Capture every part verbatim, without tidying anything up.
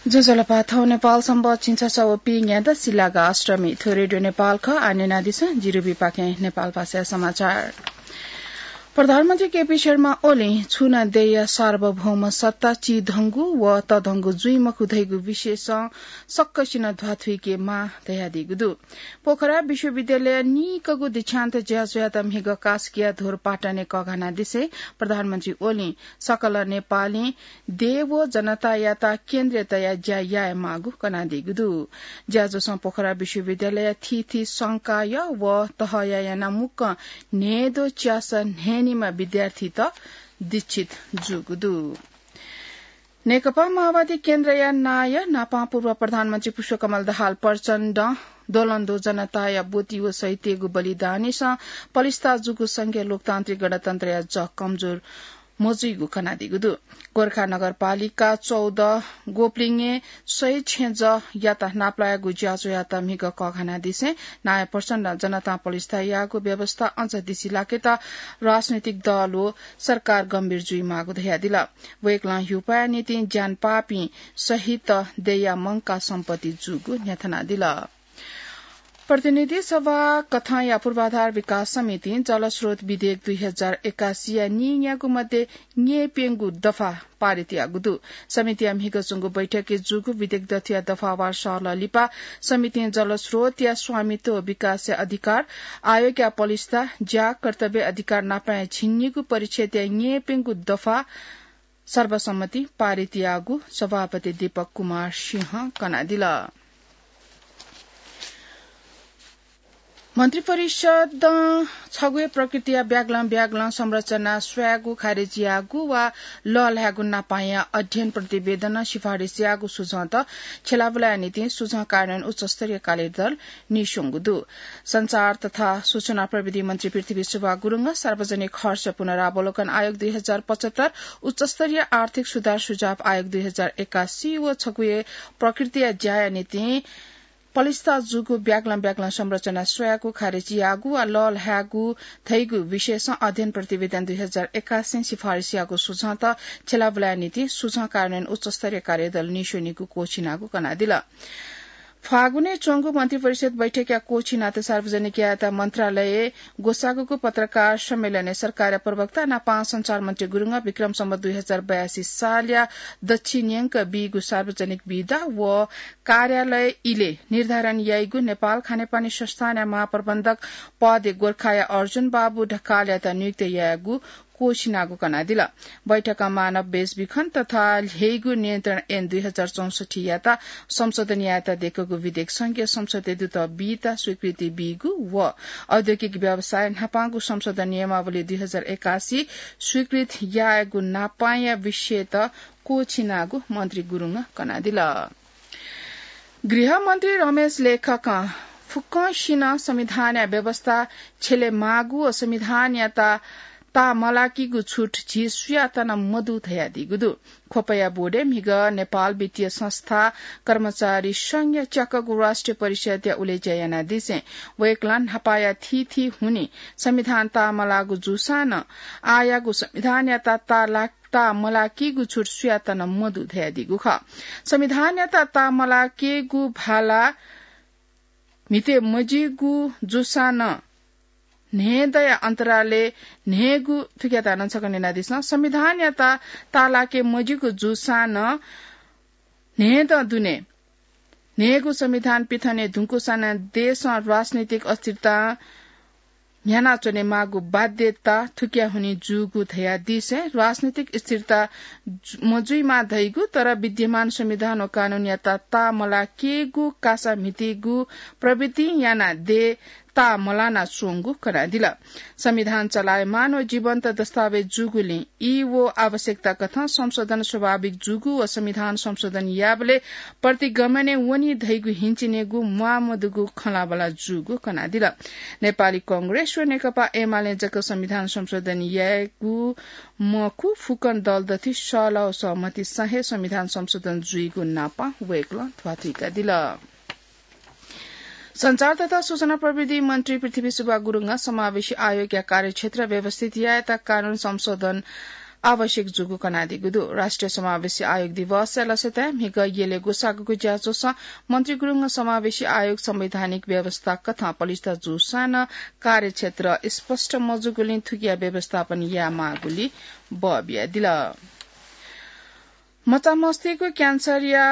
ज्वजलपा, थौं नेपाल संवत् झिंछसः व पीन्यादँ सिलागा अष्टमी। थ्व रेडियो नेपाल खः। आः न्यनादिसँ, जिरुबीपाखें नेपाल भाषाया समाचार। प्रधानमन्त्री केपी शर्मा ओलीं छुं नं देय्‌या सार्वभौम सत्ता चिधंगु व तधंगु जुइ मखु धइगु विषयसं सकसिनं ध्वाथुइके माः धयादीगु दु। पोखरा विश्वविद्यालयय् निकःगु दीक्षान्त ज्याझ्वःयात म्हिगः कास्कीया धोरपाटनय् कःघानादिसें प्रधानमन्त्री ओलीं सकल नेपालीं देय् व जनतायात केन्द्रय् तयाः ज्या यायेमाःगु कनादीगु दु। ज्याझ्वलं पोखरा विश्वविद्यालयया थीथी संकाय व तहया यानाः मुक्कं न्हय्‌द्वः च्यासः न्हय्‌निम्ह विद्यार्थीत दीक्षित जूगु दु। नेकपा माओवादी केन्द्रया नायः न्हापां पूर्व प्रधानमन्त्री पुष्पकमल दाहाल प्रचण्डं द्वलंद्वः जनताया ब्वति व शहीदतय्‌गु बलिदानसं पलिस्था जूगु संघीय लोकतान्त्रिक गणतन्त्रया जः कमजोर मजुइगु कनादीगु दु। गोरखा नगरपालिका चौध गोपलिङय् शहीद छेँजःयात नापलायेगु ज्याझ्वःयात म्हिगः कःघानादिसें नायः प्रचण्डं जनतां पलिस्था याःगु व्यवस्था अझ दिसिलाकेत राजनैतिक दल व सरकार गम्भीर जुइमाःगु धयादिल। वय्‌कलं ह्युपाया निंतिं ज्यान पाःपिं शहीदत देय्‌या मंकाः सम्पत्ति जूगु न्ह्यथनादिल। प्रतिनिधि सभा कथंया पूर्वाधार विकास समितिं जलस्रोत विधेयक दुई हजार एकासीया नीन्यागू मध्ये न्यय्‌प्यंगू दफा पारित याःगु दु। समितिया म्हिगः च्वंगु बैठकय् जूगु विधेयक दथुया दफावार सहलह लिपा समितिं जलस्रोतया स्वामित्व व विकासया अधिकार, आयोगया पलिस्था, ज्या, कर्तव्य, अधिकार नापलाये झिंनिगू परिच्छेदया न्यय्‌प्यंगू दफा सर्वसम्मति पारित याःगु सभापति दीपक कुमार सिंहं कनादिल। मन्त्रिपरिषदं छगू हे प्रकृतिया ब्यागलं ब्यागलं संरचना स्वयेगु खारेज याःगु वा लःल्हायेगु नापांया अध्ययन प्रतिवेदनं सिफारिस याःगु सुझंत छ्यलाबुलाया निंतिं सुझं कार्यान्वयन उच्चस्तरीय कार्यदल नीस्वंगु दु। सञ्चार तथा सूचना प्रविधि मन्त्री पृथ्वी सुब्बा गुरुङं सार्वजनिक खर्च पुनरावलोकन आयोग दुई हजार पचहत्तर, उच्चस्तरीय आर्थिक सुधार सुझाव आयोग दुई हजार एकासी व छगू हे प्रकृतिया ज्याया निंतिं पलिस्था जूगु ब्यागलं ब्यागलं संरचना स्वयेगु खारेज याःगु वा लःल्हायेगु धइगु विषयसं अध्ययन प्रतिवेदन दुई हजार एकासीं सिफारिस याःगु सुझंत छ्यलाबुलाया निंतिं सुझं कार्यान्वयन उच्चस्तरीय कार्यदल नीस्वनीगु क्वःछिनागु कनादिल। फागुनय् च्वंगु मन्त्रिपरिषद बैठकया क्वःछिनात सार्वजनिक यायेत मन्त्रालयय् ग्वसाःगु पत्रकार सम्मेलनय् सरकारया प्रवक्ता नापं सञ्चार मन्त्री गुरुङं विक्रम सम्वत दुई हजार बयासी सालया दच्छि न्यंक बीगु सार्वजनिक बिदा व कार्यालय इलय् निर्धारण याइगु नेपाल खानेपानी संस्थानया महाप्रबन्धक पदय् गोर्खाया अर्जुन बाबु ढकालयात नियुक्त यायेगु क्वःछिनागु कनादिल। बैठकं मानव बेचबिखन तथा ल्ह्यइगु नियन्त्रण ऐन दुई हजार चौसठ्ठीयात संशोधन यायेत दय्‌कूगु विधेयक संघीय संसदय् दुत बीत स्वीकृति बीगु व औद्योगिक व्यवसाय न्हापांगु संशोधन नियमावली दुई हजार एकासी स्वीकृत यायेगु नापांया विषयत क्वःछिनागु मन्त्री गुरुङं कनादिल। गृहमन्त्री रमेश लेखकं फुक्कसिनं संविधानया व्यवस्था छ्यलेमाःगु व संविधानयात ताःमलाकीगु छुट झी सुयातं नं मदु धयादीगु दु। ख्वपया बोर्डय् म्हिगः नेपाल वित्तीय संस्था कर्मचारी संघया च्याकःगु राष्ट्रिय परिषदया उलेज्या यानादिसें वय्‌कलं न्हापाया थीथी हुनिं संविधान ताःमलाःगु जूसां नं आःयागु संविधानयात ताःला ताःमलाकीगु छुट सुयातं नं मदु धयादीगु खः। संविधानयात ताःमलाकेगु भाला म्हिते मज्यूगु जूसां नं न्हय्‌दँया अन्तरालय् न्हय्‌गू, थुकियात नं छकः न्यनादिसँ। संविधानयात ताःलाके मज्यूगु जूसां नं न्हय्‌दँ दुने न्हय्‌गू संविधान पिथने धुंकूसां नं देशं राजनैतिक अस्थिरता न्ह्यानाच्वनेमाःगु बाध्यता थुकिया हुनिं जूगु धयादिसें राजनैतिक स्थिरता जु-, मजुइमा धइगु, तर विद्यमान संविधान व कानूनयात ताःमलाकेगु कासा म्हितीगु प्रवृत्तिं यानाः देय् ताःमलाना च्वंगु कनादिल। संविधान चलायमान व जीवन्त दस्तावेज जूगुलिं ई व आवश्यकता कथं संशोधन स्वाभाविक जूगु व संविधान संशोधन याःबलय् प्रतिगमनय् वनी धइगु हिंचिनेगु म्वाःमदुगु खँल्हाबल्हा जूगु कनादिल। नेपाली कांग्रेस व नेकपा एमालें जक संविधान संशोधन यायेगु मखु, फुक्कं दल दथुइ सहलह व सहमतिसं हे संविधान संशोधन जुइगु नापं वय्‌कलं ध्वाथुइकादिल। सञ्चार तथा सूचना प्रविधि मन्त्री पृथ्वी सुब्बा गुरुङं समावेशी आयोगया कार्यक्षेत्र व्यवस्थित यायेत कानून संशोधन आवश्यक जूगु कनादीगु दु। राष्ट्रिय समावेशी आयोग दिवसया लसताय् म्हिगः यलय् ग्वसाःगु ज्याझ्वलय् मन्त्री गुरुङ समावेशी आयोग संवैधानिक व्यवस्था कथं पलिस्था जूसां नं कार्यक्षेत्र स्पष्ट मजूगुलिं थुकिया व्यवस्थापन यायेमाःगुलिं बः बियादिल। मचामस्तय्गु क्यान्सरया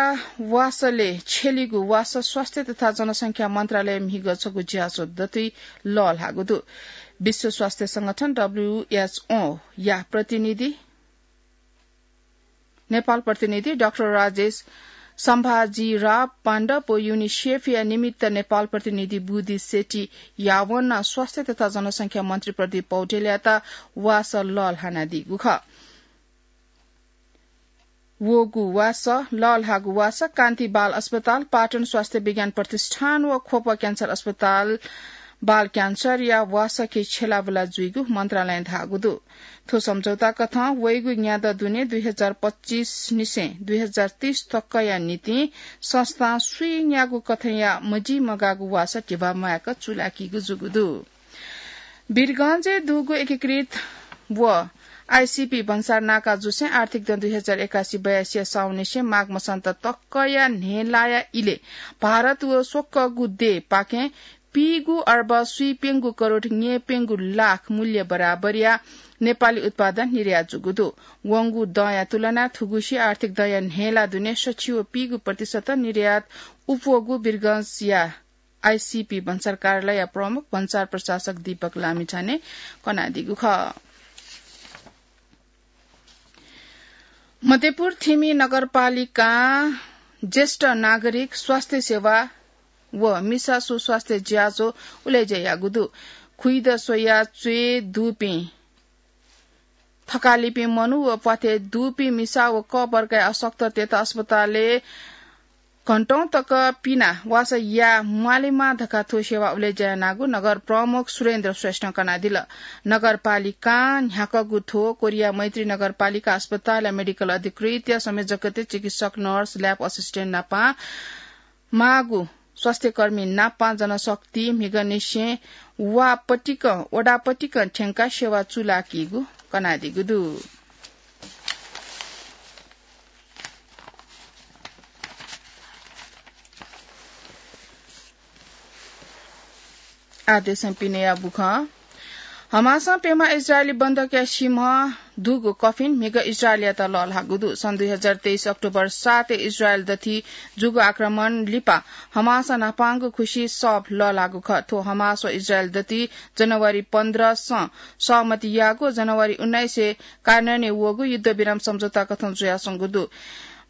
वासलय् छ्यलीगु वासः स्वास्थ्य तथा जनसंख्या मन्त्रालय म्हिगः छगू ज्याझ्वः दथुइ लःल्हाःगु दु। विश्व स्वास्थ्य संगठन, डब्ल्यूएचओ, या प्रतिनिधि, नेपाल प्रतिनिधि डाक्टर राजेश सम्भाजीराव पाण्डव व युनिसेफया निमित्त नेपाल प्रतिनिधि बुद्धि शेट्टी यावनं स्वास्थ्य तथा जनसंख्या मन्त्री प्रदीप पौडेलयात वासः लःल्हानादीगु खः। वःगु वासः, लःल्हाःगु वासः कान्ति बाल अस्पताल, पाटन स्वास्थ्य विज्ञान प्रतिष्ठान व ख्वप क्यान्सर अस्पताल बाल क्यान्सरया वासःके छ्यलाबुला जुइगु मन्त्रालयं धाःगु दु। थ्व सम्झौता कथं वइगु न्यादँ दुने दुई हजार पच्चिस निसें दुई हजार तीस तकया निंतिं संस्थां सुइन्यागू कथंया मजिमगाःगु वासः धिबा म्वायेक चूलाकीगु जूगु दु। वीरगंजय् दुगु एकीकृत व आईसीपी भन्सार नाका जुसें आर्थिक दँ दुई हजार एकासी बयासीया साउननिसें माघ मसान्त तकया न्हय्लाया इलय् भारत व स्वकःगु देय्पाखें पीगू अर्ब स्वीप्यंगू करोड न्यय्प्यंगू लाख मूल्य बराबरया नेपाली उत्पादन निर्यात जूगु दु। वंगु दँया तुलनाय् थुगुसी आर्थिक दँया न्हय्ला दुने सछि व पीगू प्रतिशत निर्यात उप्वःगु वीरगंजया आईसीपी भन्सार कार्यालयया प्रमुख भन्सार प्रशासक दीपक लामिछानें कनादीगु खः। मध्यपुर थिमि नगरपालिकां ज्येष्ठ नागरिक स्वास्थ्य सेवा व मिसा सुस्वास्थ्य ज्याझ्वः उलेज्या याःगु दु। खुइद स्वया च्वय् दुपिं थकालिपिं मनू व प्वाथय् दुपिं मिसा व क वर्गया अशक्ततय्त अस्पतालय् घण्टौं तक पिना वासः याये म्वालेमा धकाः थ्व सेवा उलेज्या यानागु नगर प्रमुख सुरेन्द्र श्रेष्ठं कनादिल। नगरपालिकां न्ह्याकःगु थ्व कोरिया मैत्री नगरपालिका अस्पतालया मेडिकल अधिकृतया संयोजकत्वय् चिकित्सक, नर्स, ल्याब असिस्टेन्ट नापं माःगु स्वास्थ्यकर्मी नापं जनशक्ति म्हिगःनिसें वा पतिकं, वडा पतिकं थ्यंकाः सेवा चूलाकीगु कनादीगु दु। आः देशं पिनेया बुखँ। हमासं प्यम्ह इजरायली बन्धकया सिमं दुगु कफिन म्हिगः इजरायलयात लःल्हाःगु दु। सन् दुई हजार तेइस अक्टोबर सातय् इजरायल दथुइ जूगु आक्रमण लिपा हमासं न्हापांगु खुसि सः लःल्हाःगु खः। थ्व हमास व इजरायल दथुइ जनवरी पन्ध्रसं सहमति याःगु, जनवरी उन्नाइसय् कार्यान्वयनय् वःगु युद्धविराम सम्झौता कथं जुयाच्वंगु दु।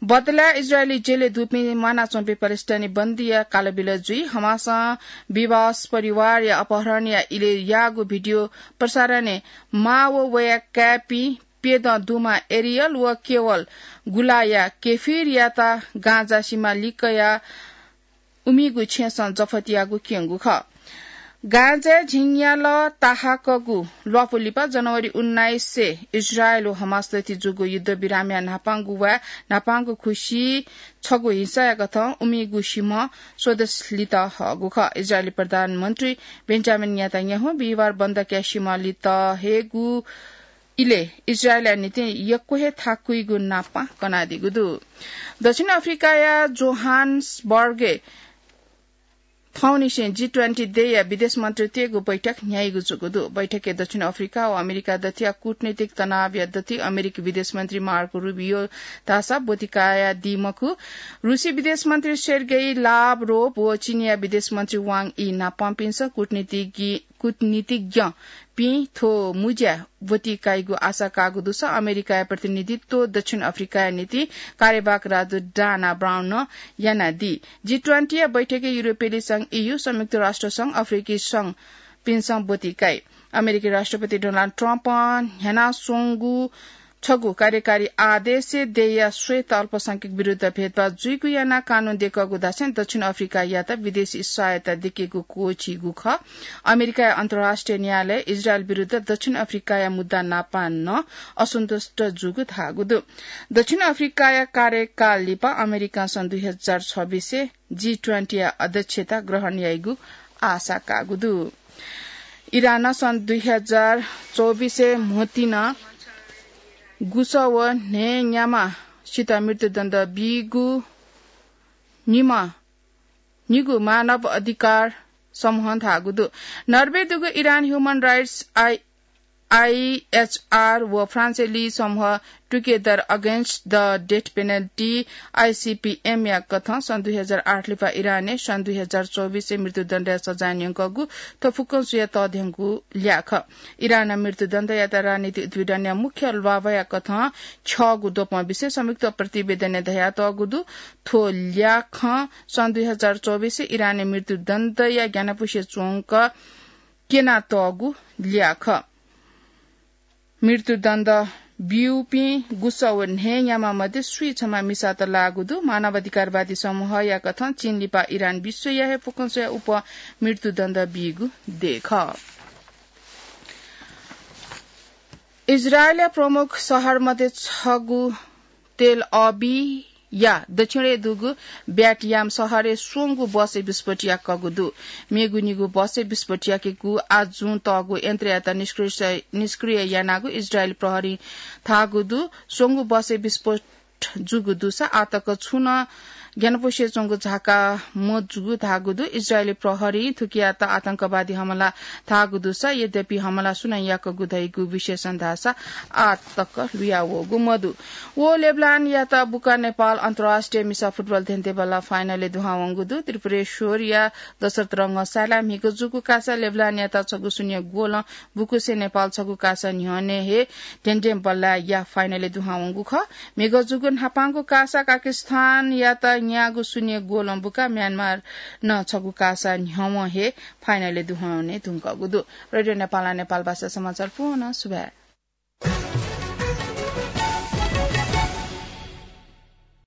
बदलाय् इजरायली जेलय् दुपिं म्वानाच्वंपिं प्यालेस्टाइनी बन्दीया कालबिल जुइ। हमासं बिबास परिवारया अपहरणया इलय् याःगु भिडियो प्रसारणय् मां व वया काय्‌पिं प्यदँ दुमां एरियल व केवल गुलाया केफिरयात गाजा सिमा लिक्कया उमिगु छेँसं जफत याःगु क्यंगु खः। गाजाय् झिंन्यालः ताहाकःगु ल्वापु लिपा जनवरी उन्नाइसय् इजरायल व हमास दथुइ जूगु युद्धविरामया न्हापांगु वा न्हापांगु खुसि छगू हिंसाया कथं उमिगु सिमं स्वदेश लित हःगु खः। इजरायली प्रधानमन्त्री बेन्जामिन नेतान्याहु बिहिबार बन्दकया सिमं लित हयेगु इलय् इजरायलया निंतिं यक्व हे थाकुइगु नापं कनादीगु दु। दक्षिण अफ्रिकाया जोहान्सबर्गय् थौंनिसें जी ट्वेन्टी देय्‌या विदेश मन्त्रीतय्‌गु बैठक न्ह्याइगु जूगु दु। बैठकय् दक्षिण अफ्रिका व अमेरिका दथुया कूटनीतिक तनावया दथुइ अमेरिकी विदेश मन्त्री मार्को रुबियो धाःसा ब्वति कयादी मखु। रुसी विदेश मन्त्री सेर्गेई लाभरोभ व चीनया विदेश मन्त्री वाङ यी नापंपिन्सं कूटनीतिज्ञ कूटनीतिज्ञपिं थ्व मुँज्याय् ब्वति काइगु आशा काःगु दुसा अमेरिकाया प्रतिनिधित्व दक्षिण अफ्रिकाया निंतिं कार्यवाहक राजदूत डाना ब्राउनं यानादी। जी ट्वेन्टीया बैठकय् युरोपेली संघ, ईयू, संयुक्त राष्ट्र संघ, अफ्रिकी संघपिन्सं ब्वति काइ। अमेरिकी राष्ट्रपति डोनाल्ड ट्रम्पं न्ह्यानाच्वंगु छगू कार्यकारी आदेशय् देय्‌या श्वेत अल्पसंख्यक विरुद्ध भेदभाव जुइगु यानाः कानून दय्‌कःगु धासें दक्षिण अफ्रिकायात विदेशी सहायता दय्‌केगु क्वःछीगु खः। अमेरिकाया अन्तर्राष्ट्रिय न्यायालय इजरायल विरुद्ध दक्षिण अफ्रिकाया मुद्दा नापं नं असन्तुष्ट जूगु धाःगु दु। दक्षिण अफ्रिकाया कार्यकाल लिपा अमेरिकां सन् दुई हजार छब्बीसय् जी ट्वेन्टीया अध्यक्षता ग्रहण याइगु आशा काःगु दु। इरानं सन् दुई हजार चौबिसय् म्होतिं गुसः व न्हय्‌न्याम्हसित मृत्युदण्ड बीगु निम्ह निगू मानव अधिकार समूहं धाःगु दु। नर्वे दुगु Iran Human Rights I, IHR व फ्रान्सेली समूह Together Against the Death Penalty, ICPM या कथं सन् दुई हजार आठ लिपा इरानय् सन् दुई हजार चौबिसय् मृत्युदण्डया सजाय न्यंकूगु थ्व फुक्कं स्वयाः तःधंगु ल्याः खः। इरानं मृत्युदण्डयात राजनीतिक उद्वीडनया मुख्य ल्वाभया कथं छ्यःगु द्वपं विषय संयुक्त प्रतिवेदनय् धयातःगु दु। थ्व ल्याखं सन् दुई हजार चौबिसय् इरानय् मृत्युदण्डया ग्यानापुसे च्वंक क्यनातःगु ल्याः खः। मृत्युदण्ड ब्यूपिं गुसः व न्हय्‌न्याम्ह मध्ये स्वीछम्ह मिसात लाःगु दु। मानवाधिकारवादी समूहया कथं चीन लिपा इरान विश्वया हे फुक्कं स्वयाः उप मृत्युदण्ड बीगु देय् खः। इजरायलया प्रमुख शहर मध्ये छगू तेल अभिवया दक्षिणय् दुगु ब्याटयाम शहरय् स्वंगू बसय् विस्फोट याकूगु दु। मेगु निगू बसय् विस्फोट याकेगु आजुं तःगु यन्त्रयात निष्क्रिय, निष्क्रिय यानागु इजरायली प्रहरीं धाःगु दु। स्वंगू बसय् विस्फोट जूगु दुसा आःतक छुं नं ग्यानापुसे च्वंगु झाका मजूगु धाःगु दु। इजरायली प्रहरीं थुकियात आतंकवादी हमला धाःगु दुसा यद्यपि हमला सुनं याकूगु धइगु विशेषं धाःसा आःतक लुयावःगु मदु। व लेबनानयात बुका नेपाल अन्तर्राष्ट्रिय मिसा फुटबल धेंधेंबल्लाः फाइनलय् दुहां वंगु दु। त्रिपुरेश्वरया दशरथ रंगशालाय् म्हिगः जूगु कासा लेबनानयात छगू शून्य गोलं बुकुसे नेपाल छगू कासा न्ह्यःने हे धेंधेंबल्लाःया फाइनलय् दुहां वंगु खः। म्हिगः जूगु न्हापांगु कासा काकिस्थानयात न्यागू शून्य गोलं बुका म्यानमार नं छगू कासा न्ह्यवं हे फाइनलय् दुहां वने धुंकूगु दु। रेडियो नेपालं नेपाल भाषा समाचार पूवं सुभाय्।